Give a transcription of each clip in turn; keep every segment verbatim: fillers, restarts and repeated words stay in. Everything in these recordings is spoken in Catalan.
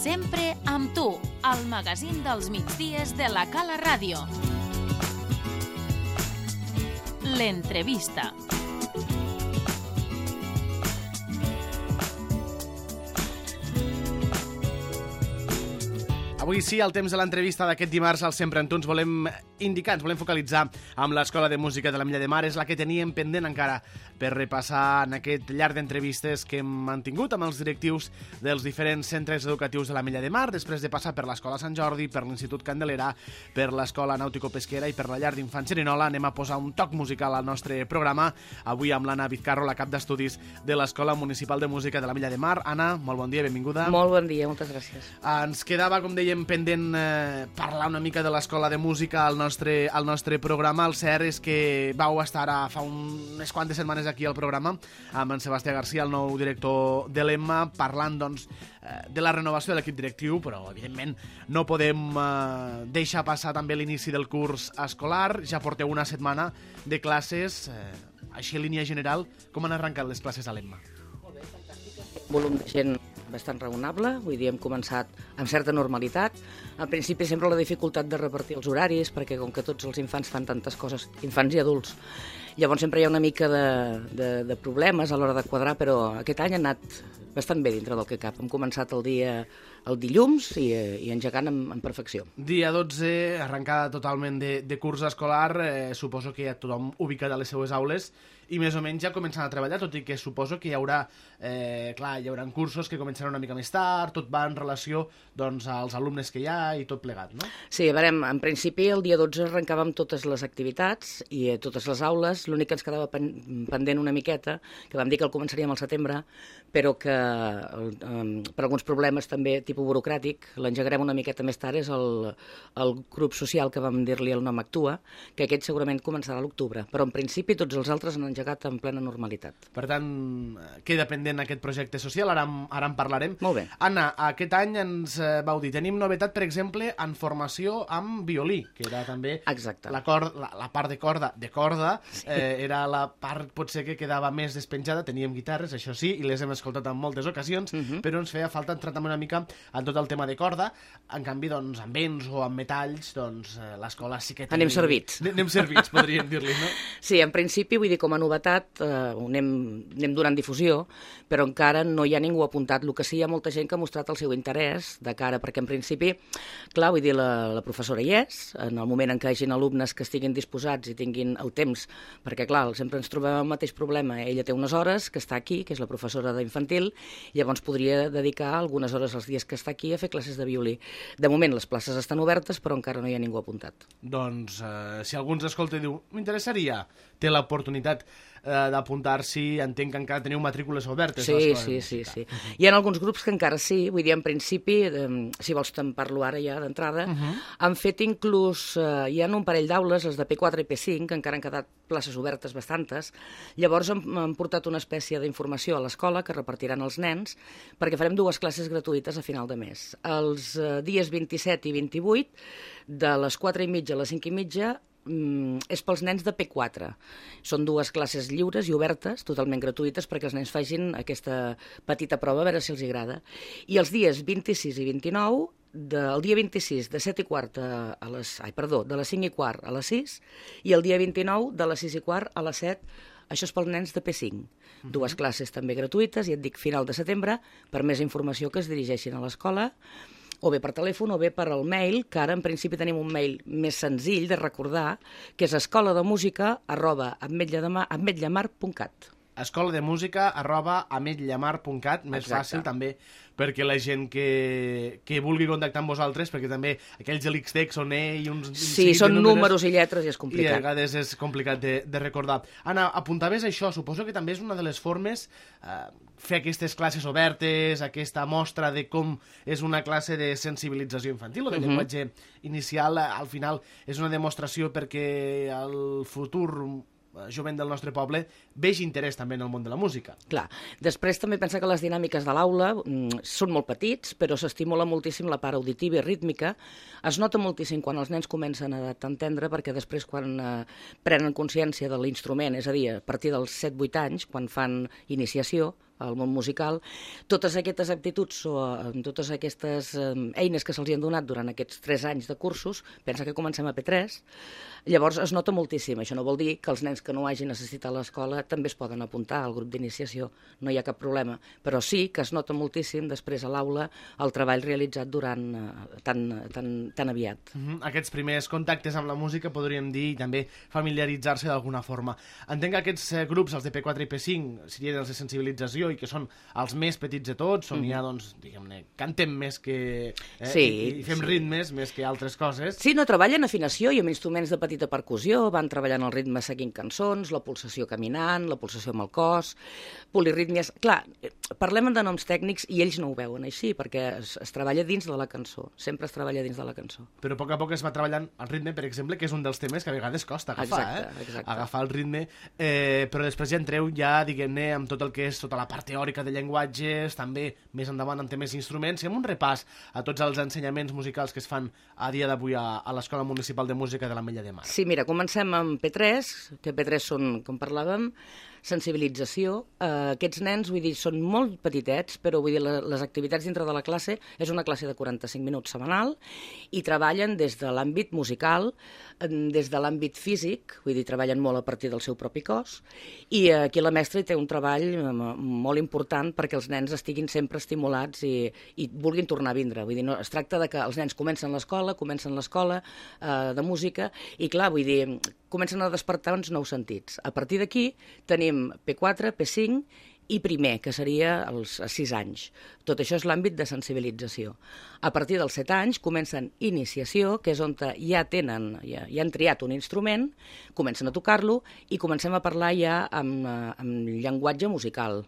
Sempre amb tu, al magazín dels migdies de la Cala Ràdio. L'entrevista. Avui sí, al temps de l'entrevista d'aquest dimarts al Sempre amb tu ens volem indicar, ens volem focalitzar amb l'Escola de Música de la Milla de Mar. És la que teníem pendent encara per repassar en aquest llarg d'entrevistes que hem mantingut amb els directius dels diferents centres educatius de la Milla de Mar, després de passar per l'Escola Sant Jordi, per l'Institut Candelera, per l'Escola Nàutico-Pesquera i per la llar d'infants Cerinola. Anem a posar un toc musical al nostre programa, avui amb l'Anna Vizcarro, la cap d'estudis de l'Escola Municipal de Música de la Milla de Mar. Anna, molt bon dia, benvinguda. Molt bon dia, moltes gràcies. Ens quedava, com dèiem, pendent eh, parlar una mica de l'Escola de Música al nostre, al nostre programa. El cert és que vau estar ara fa un, unes quantes setmanes aquí al programa amb en Sebastià García, el nou director de l'Emma, parlant doncs, eh, de la renovació de l'equip directiu, però evidentment no podem eh, deixar passar també l'inici del curs escolar. Ja porteu una setmana de classes. Eh, així, en línia general, com han arrencat les classes a l'Emma? Molt bé, fantàstic. Volum de gent bastant raonable, vull dir, hem començat amb certa normalitat. Al principi sempre la dificultat de repartir els horaris, perquè com que tots els infants fan tantes coses, infants i adults, llavors sempre hi ha una mica de, de, de problemes a l'hora de quadrar, però aquest any ha anat bastant bé dintre del que cap. Hem començat el dia el dilluns i, i engegant en, en perfecció. Dia dotze, arrencada totalment de, de curs escolar, eh, suposo que ja tothom ubicat a les seues aules i més o menys ja començant a treballar, tot i que suposo que hi haurà, eh, clar, hi haurà cursos que començaran una mica més tard, tot va en relació doncs, als alumnes que hi ha i tot plegat, no? Sí, a veure, en principi el dia dotze arrencàvem totes les activitats i eh, totes les aules, l'únic que ens quedava pen pendent una miqueta, que vam dir que el començaríem al setembre, però que eh, per alguns problemes també tipus burocràtic, l'engegarem una miqueta més tard, és el, el grup social que vam dir-li el nom Actua, que aquest segurament començarà a l'octubre, però en principi tots els altres han engegat en plena normalitat. Per tant, queda pendent aquest projecte social, ara, ara en parlarem. Molt bé. Anna, aquest any ens vau dir, tenim novetat, per exemple, en formació amb violí, que era també Exacte. La, cor, la, la part de corda, de corda, sí. eh, era la part potser que quedava més despenjada, teníem guitarres, això sí, i les hem escoltat en moltes ocasions, uh -huh. però ens feia falta entrar també una mica en tot el tema de corda. En canvi, doncs, amb vents o amb metalls, doncs, l'escola sí que... Anem servits. Anem servits, podríem dir-li, no? Sí, en principi, vull dir, com a novetat, eh, anem, anem donant difusió, però encara no hi ha ningú apuntat. El que sí, hi ha molta gent que ha mostrat el seu interès de cara, perquè en principi, clar, vull dir, la, la professora hi és, en el moment en què hi hagin alumnes que estiguin disposats i tinguin el temps, perquè, clar, sempre ens trobem el mateix problema. Ella té unes hores que està aquí, que és la professora d'infantil, i llavors podria dedicar algunes hores als dies que està aquí a fer classes de violí. De moment, les places estan obertes, però encara no hi ha ningú apuntat. Doncs, eh, si algú ens escolta i diu, m'interessaria, té l'oportunitat eh, d'apuntar-s'hi, entenc que encara teniu matrícules obertes. Sí, sí, sí, sí. Uh -huh. Hi ha alguns grups que encara sí, vull dir, en principi, eh, si vols te'n parlo ara ja d'entrada, uh -huh. han fet inclús, eh, hi ha un parell d'aules, les de P quatre i P cinc, que encara han quedat places obertes bastantes, llavors han, han portat una espècie d'informació a l'escola que repartiran els nens, perquè farem dues classes gratuïtes a final de mes. Els eh, dies vint-i-set i vint-i-vuit, de les quatre i mitja a les cinc i mitja, és pels nens de P quatre. Són dues classes lliures i obertes, totalment gratuïtes, perquè els nens facin aquesta petita prova, a veure si els agrada. I els dies vint-i-sis i vint-i-nou, del dia vint-i-sis de set i quart a les... Ai, perdó, de les cinc i quart a les sis, i el dia vint-i-nou de les sis i quart a les set. Això és pels nens de P cinc. Uh-huh. Dues classes també gratuïtes, i et dic final de setembre, per més informació que es dirigeixin a l'escola, o bé per telèfon o bé per el mail, que ara en principi tenim un mail més senzill de recordar, que és escolademúsica arroba ametllamar punt cat. escola de música arroba ametllamar punt cat, més Exacte. fàcil també perquè la gent que, que vulgui contactar amb vosaltres, perquè també aquells de l'X T E C són E i uns... Sí, són números, números i lletres i és complicat. I a vegades és complicat de, de recordar. Anna, apuntaves això, suposo que també és una de les formes eh, fer aquestes classes obertes, aquesta mostra de com és una classe de sensibilització infantil o de uh -huh. llenguatge inicial, al final és una demostració perquè el futur jovent del nostre poble vegi interès també en el món de la música. Clar. Després també pensa que les dinàmiques de l'aula mm, són molt petits, però s'estimula moltíssim la part auditiva i rítmica. Es nota moltíssim quan els nens comencen a entendre, perquè després quan eh, prenen consciència de l'instrument, és a dir, a partir dels set vuit anys, quan fan iniciació, al món musical. Totes aquestes aptituds o totes aquestes eh, eines que se'ls han donat durant aquests tres anys de cursos, pensa que comencem a P tres, llavors es nota moltíssim. Això no vol dir que els nens que no hagin assistit a l'escola també es poden apuntar al grup d'iniciació, no hi ha cap problema, però sí que es nota moltíssim després a l'aula el treball realitzat durant eh, tan, tan, tan aviat. Mm-hmm. Aquests primers contactes amb la música, podríem dir, i també familiaritzar-se d'alguna forma. Entenc que aquests eh, grups, els de P quatre i P cinc, serien els de sensibilització i que són els més petits de tots, on mm. hi ha, doncs, diguem-ne, cantem més que... Eh, sí, i, i fem sí. ritmes més que altres coses. Sí, no, treballen afinació i amb instruments de petita percussió, van treballant el ritme seguint cançons, la pulsació caminant, la pulsació amb el cos, polirítmies... Clar, parlem de noms tècnics i ells no ho veuen així, perquè es, es treballa dins de la cançó, sempre es treballa dins de la cançó. Però a poc a poc es va treballant el ritme, per exemple, que és un dels temes que a vegades costa agafar, exacte, eh? Exacte. Agafar el ritme, eh, però després ja entreu ja, diguem-ne, amb tot el que és tota la part teòrica de llenguatges, també més endavant amb temes d'instruments, i amb un repàs a tots els ensenyaments musicals que es fan a dia d'avui a, a l'Escola Municipal de Música de l'Ametlla de Mar. Sí, mira, comencem amb P tres, que P tres són, com parlàvem, sensibilització. Uh, aquests nens, vull dir, són molt petitets, però vull dir, la, les activitats dintre de la classe és una classe de quaranta-cinc minuts setmanal i treballen des de l'àmbit musical, des de l'àmbit físic, vull dir, treballen molt a partir del seu propi cos, i uh, aquí la mestra hi té un treball molt important perquè els nens estiguin sempre estimulats i, i vulguin tornar a vindre. Vull dir, no, es tracta de que els nens comencen l'escola, comencen l'escola uh, de música, i clar, vull dir, comencen a despertar uns nous sentits. A partir d'aquí tenim P quatre, P cinc i primer, que seria els sis anys. Tot això és l'àmbit de sensibilització. A partir dels set anys comencen iniciació, que és on ja tenen, ja, ja han triat un instrument, comencen a tocar-lo i comencem a parlar ja amb, amb llenguatge musical.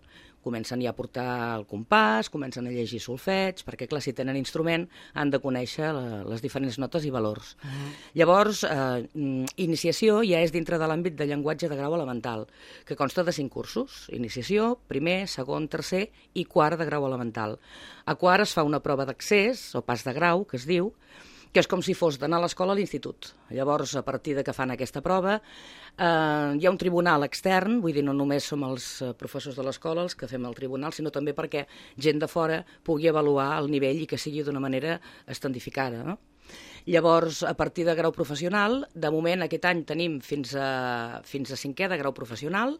Comencen ja a portar el compàs, comencen a llegir solfeig, perquè, clar, si tenen instrument han de conèixer la, les diferents notes i valors. Uh-huh. Llavors, eh, iniciació ja és dintre de l'àmbit de llenguatge de grau elemental, que consta de cinc cursos. Iniciació, primer, segon, tercer i quart de grau elemental. A quart es fa una prova d'accés, o pas de grau, que es diu, que és com si fos d'anar a l'escola a l'institut. Llavors, a partir de que fan aquesta prova, eh, hi ha un tribunal extern, vull dir, no només som els professors de l'escola els que fem el tribunal, sinó també perquè gent de fora pugui avaluar el nivell i que sigui d'una manera estandificada, no? Llavors, a partir de grau professional, de moment aquest any tenim fins a, fins a cinquè de grau professional,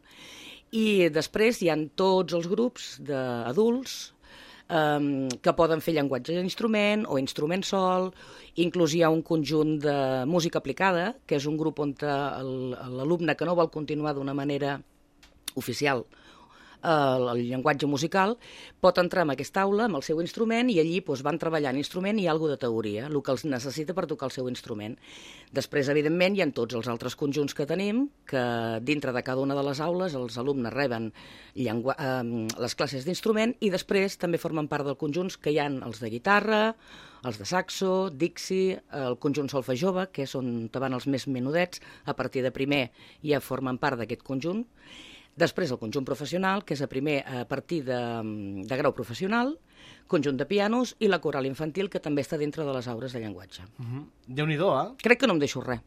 i després hi ha tots els grups d'adults Um, que poden fer llenguatge d'instrument o instrument sol, inclús hi ha un conjunt de música aplicada, que és un grup on l'alumne que no vol continuar d'una manera oficial el, el llenguatge musical pot entrar en aquesta aula amb el seu instrument i allí doncs, van treballant instrument i alguna de teoria, el que els necessita per tocar el seu instrument. Després, evidentment, hi ha tots els altres conjunts que tenim, que dintre de cada una de les aules els alumnes reben llengua, eh, les classes d'instrument i després també formen part del conjunts que hi ha els de guitarra, els de saxo, dixi, el conjunt solfa jove, que és on van els més menudets, a partir de primer ja formen part d'aquest conjunt. Després el conjunt professional, que és a primer a partir de, de grau professional, conjunt de pianos i la coral infantil, que també està dintre de les aures de llenguatge. Uh-huh. Déu-n'hi-do, eh? Crec que no em deixo res.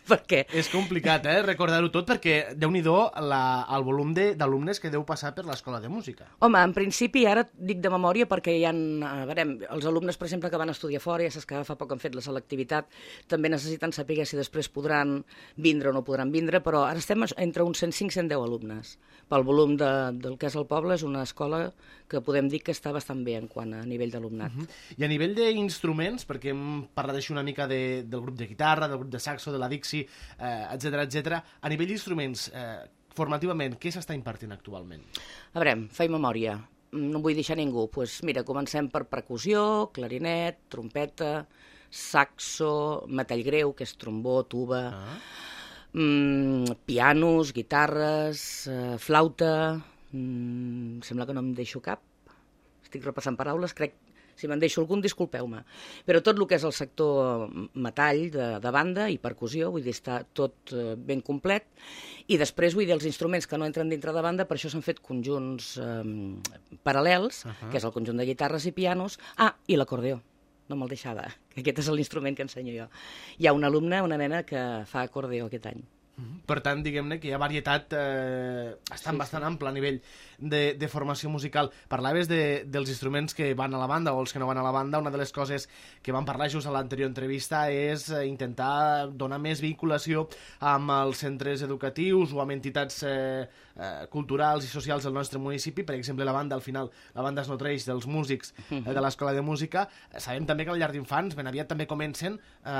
Perquè... És complicat, eh, recordar-ho tot, perquè déu-n'hi-do el volum d'alumnes que deu passar per l'escola de música. Home, en principi, ara dic de memòria perquè hi ha, a veure, els alumnes, per exemple, que van estudiar fora, ja saps que fa poc han fet la selectivitat, també necessiten saber si després podran vindre o no podran vindre, però ara estem entre uns cent cinc cent deu alumnes. Pel volum de, del que és el poble, és una escola que podem dir que està bastant bé en quant a nivell d'alumnat. Uh-huh. I a nivell d'instruments, perquè hem parlat així una mica de, del grup de guitarra, del grup de saxo, de la dixi, eh, etcètera, etcètera. A nivell d'instruments, eh, formativament, què s'està impartint actualment? A veure, faig memòria. No vull deixar ningú. Pues mira, comencem per percussió, clarinet, trompeta, saxo, metall greu, que és trombó, tuba, ah. mm, pianos, guitarres, eh, flauta... Mm, sembla que no em deixo cap. Estic repassant paraules, crec... Si me'n deixo algun, disculpeu-me. Però tot el que és el sector metall de, de banda i percussió, vull dir, està tot eh, ben complet. I després, vull dir, els instruments que no entren dintre de banda, per això s'han fet conjunts eh, paral·lels, uh-huh. que és el conjunt de guitarres i pianos. Ah, i l'acordeó. No me'l deixava, que aquest és l'instrument que ensenyo jo. Hi ha un alumne, una nena, que fa acordeó aquest any. Per tant, diguem-ne que hi ha varietat eh, bastant, sí, bastant sí. ampla a nivell de, de formació musical. Parlaves de, dels instruments que van a la banda o els que no van a la banda. Una de les coses que vam parlar just a l'anterior entrevista és intentar donar més vinculació amb els centres educatius o amb entitats eh, eh, culturals i socials del nostre municipi. Per exemple, la banda, al final, la banda es nodreix dels músics eh, de l'Escola de Música. Sabem també que al llar d'infants ben aviat també comencen eh,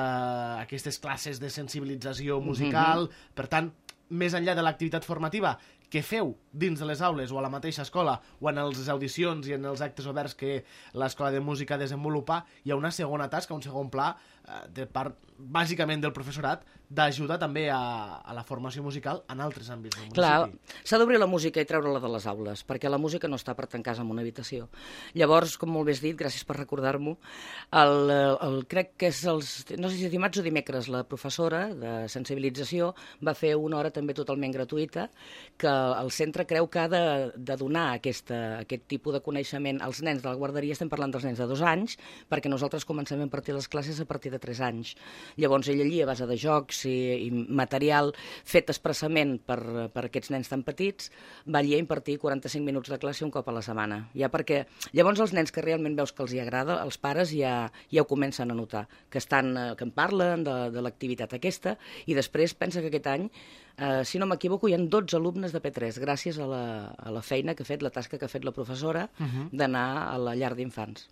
aquestes classes de sensibilització musical. Mm-hmm. Per tant, més enllà de l'activitat formativa que feu dins de les aules o a la mateixa escola o en les audicions i en els actes oberts que l'Escola de Música desenvolupa, hi ha una segona tasca, un segon pla eh, de part, bàsicament, del professorat d'ajuda també a, a la formació musical en altres àmbits del municipi. Clar, s'ha d'obrir la música i treure-la de les aules, perquè la música no està per tancar-se en una habitació. Llavors, com molt bé has dit, gràcies per recordar-m'ho, el, el, crec que és els, no sé si dimarts o dimecres, la professora de sensibilització va fer una hora també totalment gratuïta, que el centre creu que ha de, de donar aquesta, aquest tipus de coneixement als nens de la guarderia. Estem parlant dels nens de dos anys, perquè nosaltres comencem a impartir les classes a partir de tres anys. Llavors ell allí, a base de jocs i, i material fet expressament per, per aquests nens tan petits, va allí a impartir quaranta-cinc minuts de classe un cop a la setmana. Ja perquè llavors els nens que realment veus que els hi agrada, els pares ja, ja ho comencen a notar, que, estan, que en parlen de, de l'activitat aquesta, i després pensa que aquest any, eh, si no m'equivoco, hi ha dotze alumnes de P tres, gràcies a la, a la feina que ha fet, la tasca que ha fet la professora, uh-huh. d'anar a la llar d'infants.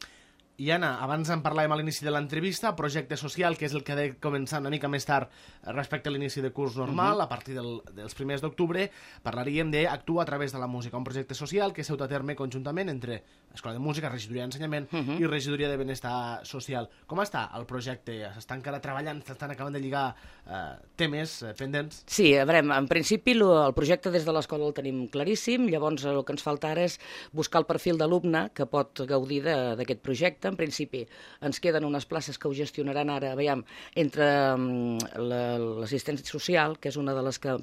I Anna, abans en parlàvem a l'inici de l'entrevista, projecte social, que és el que ha de començar una mica més tard respecte a l'inici de curs normal, uh-huh. a partir del, dels primers d'octubre, parlaríem d'Actua a través de la música, un projecte social que s'ha dut a terme conjuntament entre Escola de Música, Regidoria d'Ensenyament uh-huh. i Regidoria de Benestar Social. Com està el projecte? S'està encara treballant, s'estan acabant de lligar eh, temes eh, pendents? Sí, a veure, en principi lo, el projecte des de l'escola el tenim claríssim, llavors el que ens falta ara és buscar el perfil d'alumne que pot gaudir d'aquest projecte. En principi ens queden unes places que ho gestionaran ara, veiem, entre um, l'assistència social, que és una de les que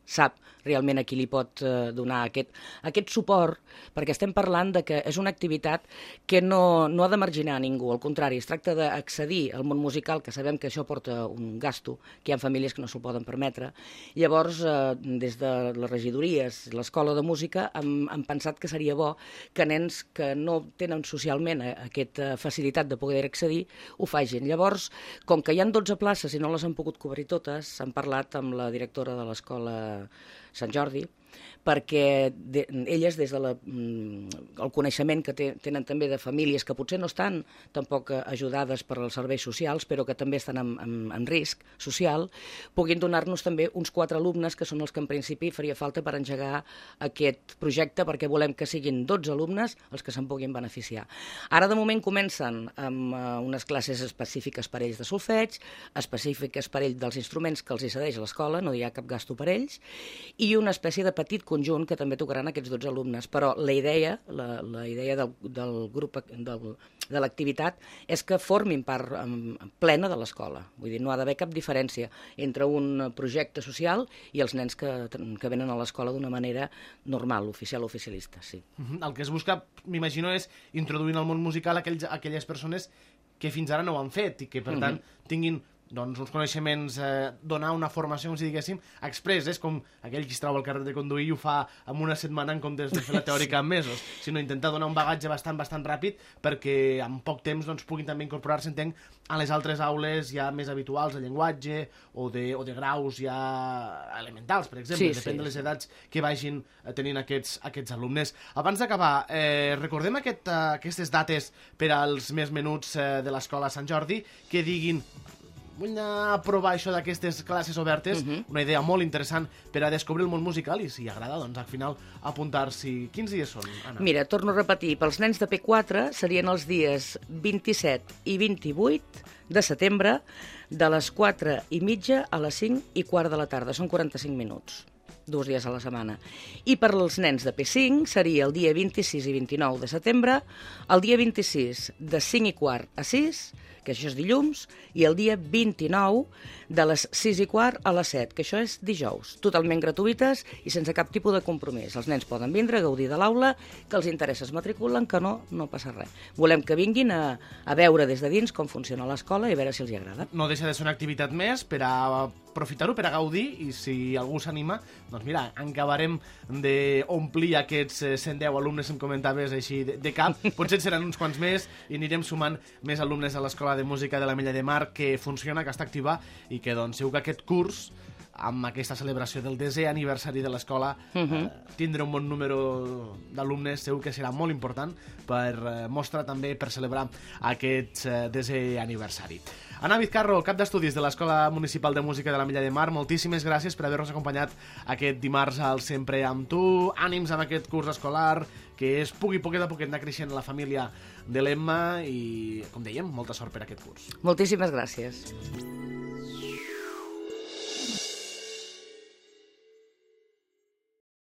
sap realment a qui li pot uh, donar aquest, aquest suport, perquè estem parlant de que és una activitat que no, no ha de marginar a ningú, al contrari, es tracta d'accedir al món musical, que sabem que això porta un gasto, que hi ha famílies que no s'ho poden permetre. Llavors, eh, des de les regidories, l'escola de música, hem, hem pensat que seria bo que nens que no tenen socialment aquesta facilitat de poder accedir, ho facin. Llavors, com que hi ha dotze places i no les han pogut cobrir totes, hem parlat amb la directora de l'escola Sant Jordi, perquè de, elles, des del de el coneixement que te, tenen també de famílies que potser no estan tampoc ajudades per als serveis socials, però que també estan en, en, en risc social, puguin donar-nos també uns quatre alumnes, que són els que en principi faria falta per engegar aquest projecte, perquè volem que siguin dotze alumnes els que se'n puguin beneficiar. Ara, de moment, comencen amb uh, unes classes específiques per ells de solfeig, específiques per ells dels instruments que els hi cedeix a l'escola, no hi ha cap gasto per ells, i una espècie de petit conjunt que també tocaran aquests dotze alumnes, però la idea, la, la idea del, del grup del, de l'activitat és que formin part um, plena de l'escola. Vull dir, no ha d'haver cap diferència entre un projecte social i els nens que, que venen a l'escola d'una manera normal, oficial o oficialista, sí. Uh-huh. El que es busca, m'imagino, és introduir en el món musical aquells, aquelles persones que fins ara no ho han fet i que, per uh-huh. tant, tinguin doncs, uns coneixements, eh, donar una formació, com si diguéssim, express. És com aquell qui es trau al carrer de conduir i ho fa en una setmana en comptes de fer la teòrica en mesos, sinó intentar donar un bagatge bastant, bastant ràpid perquè en poc temps doncs, puguin també incorporar-se, entenc, a les altres aules ja més habituals de llenguatge o de, o de graus ja elementals, per exemple, sí, depèn sí, de les edats que vagin tenint aquests, aquests alumnes. Abans d'acabar, eh, recordem aquest, uh, aquestes dates per als més menuts eh, de l'Escola Sant Jordi que diguin vull anar a provar això d'aquestes classes obertes, uh-huh. una idea molt interessant per a descobrir el món musical i, si agrada, doncs, al final, apuntar-s'hi. Quins dies són, Anna? Mira, torno a repetir, pels nens de P quatre serien els dies vint-i-set i vint-i-vuit de setembre, de les quatre i mitja a les cinc i quart de la tarda. Són quaranta-cinc minuts, dos dies a la setmana. I per als nens de P cinc seria el dia vint-i-sis i vint-i-nou de setembre, el dia vint-i-sis de cinc i quart a sis, que això és dilluns, i el dia vint-i-nou de les sis i quart a les set, que això és dijous, totalment gratuïtes i sense cap tipus de compromís. Els nens poden vindre a gaudir de l'aula, que els interessa es matriculen, que no, no passa res. Volem que vinguin a, a veure des de dins com funciona l'escola i a veure si els hi agrada. No deixa de ser una activitat més per a aprofitar-ho per a gaudir, i si algú s'anima, doncs mira, acabarem d'omplir aquests cent deu alumnes, em comentaves així de, de cap, potser seran uns quants més i anirem sumant més alumnes a l'Escola de Música de l'Ametlla de Mar, que funciona, que està activa, i que doncs segur que aquest curs, amb aquesta celebració del desè aniversari de l'escola, uh -huh. eh, tindre un bon número d'alumnes segur que serà molt important per eh, mostrar també, per celebrar aquest eh, desè aniversari. Anna Vizcarro, cap d'estudis de l'Escola Municipal de Música de l'Ametlla de Mar, moltíssimes gràcies per haver-nos acompanyat aquest dimarts al Sempre amb tu. Ànims amb aquest curs escolar, que es pugui poquet a poquet anar creixent la família de l'Emma i, com dèiem, molta sort per aquest curs. Moltíssimes gràcies.